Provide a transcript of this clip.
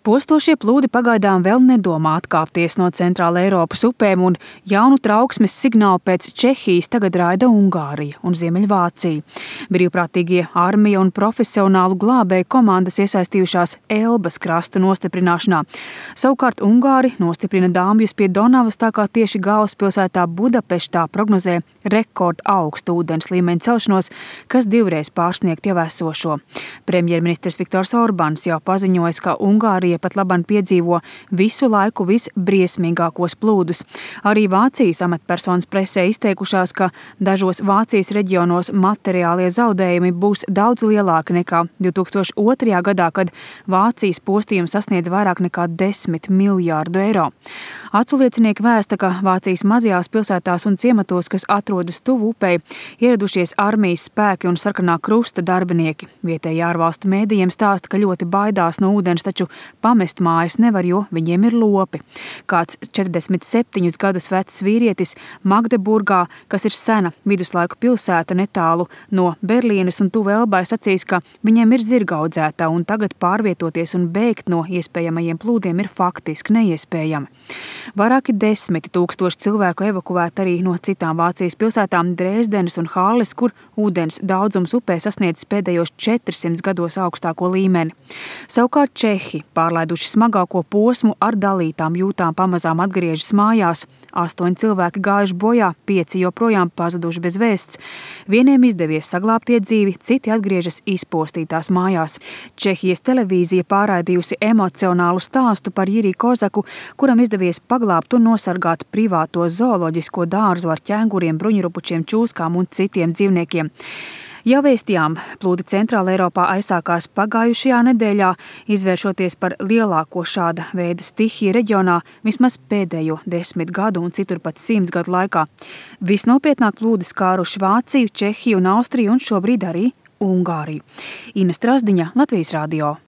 Postošie plūdi pagaidām vēl nedomā atkāpties no Centrāla Eiropas upēm, un jaunu trauksmes signālu pēc Čehijas tagad raida Ungārija un Ziemeļvācija. Brīvprātīgie armija un profesionālu glābēju komandas iesaistījušās Elbas krasta nostiprināšanā. Savukārt Ungāri nostiprina dāmjus pie Donavas, tā kā tieši galvaspilsētā Budapeštā prognozē rekorda augstu ūdens līmeņa celšanos, kas divreiz pārsniegt jau esošo. Premjerministrs Viktors Orbāns jau paziņojis, ka Ungārija pat labam piedzīvo visu laiku visbriesmīgākos plūdus. Arī Vācijas amatpersonas presē izteikušās, ka dažos Vācijas reģionos materiālie zaudējumi būs daudz lielāki nekā 2002. gadā, kad Vācijas postījums sasniedz vairāk nekā 10 miljārdu eiro. Aculiecinieki vēsta, ka Vācijas mazajās pilsētās un ciematos, kas atrodas tuvu upei, ieradušies armijas spēki un sarkanā krusta darbinieki. Vietēji ārvalstu mēdījiem stāsta, ka ļoti baidās no ūdens, taču pamest mājas nevar, jo viņiem ir lopi. Kāds 47 gadus vecs vīrietis Magdeburgā, kas ir sena viduslaiku pilsēta netālu no Berlīnes un tuvu Elbai, sacīs, ka viņiem ir zirga audzētā un tagad pārvietoties un bēgt no iespējamajiem plūdiem ir faktiski neiespējami. Vairāki 10 000 cilvēku evakuēti arī no citām Vācijas pilsētām Dresdenes un Halles, kur ūdens daudzums upē sasniedz pēdējos 400 gados augstāko līmeni. Savukārt Čehi, pārlaiduši smagāko posmu, ar dalītām jūtām pamazām atgriežas mājās. 8 cilvēki gājuši bojā, 5 joprojām pazuduši bez vēsts. Vieniem izdevies saglābt iedzīvi, citi atgriežas izpostītās mājās. Čehijas televīzija pārraidījusi emocionālu stāstu par Jiri Kozaku, kuram izdevies paglābt un nosargāt privāto zooloģisko dārzu ar ķēnguriem, bruņurupučiem, čūskām un citiem dzīvniekiem. Jau vēstījām, plūdi Centrāla Eiropā aizsākās pagājušajā nedēļā, izvēršoties par lielāko šāda veida stihiju reģionā vismaz pēdējo 10 gadu un citur pat 100 gadu laikā. Visnopietnāk plūdi skāruši Vāciju, Čehiju un Austriju un šobrīd arī Ungāriju. Ina Strasdiņa, Latvijas radio.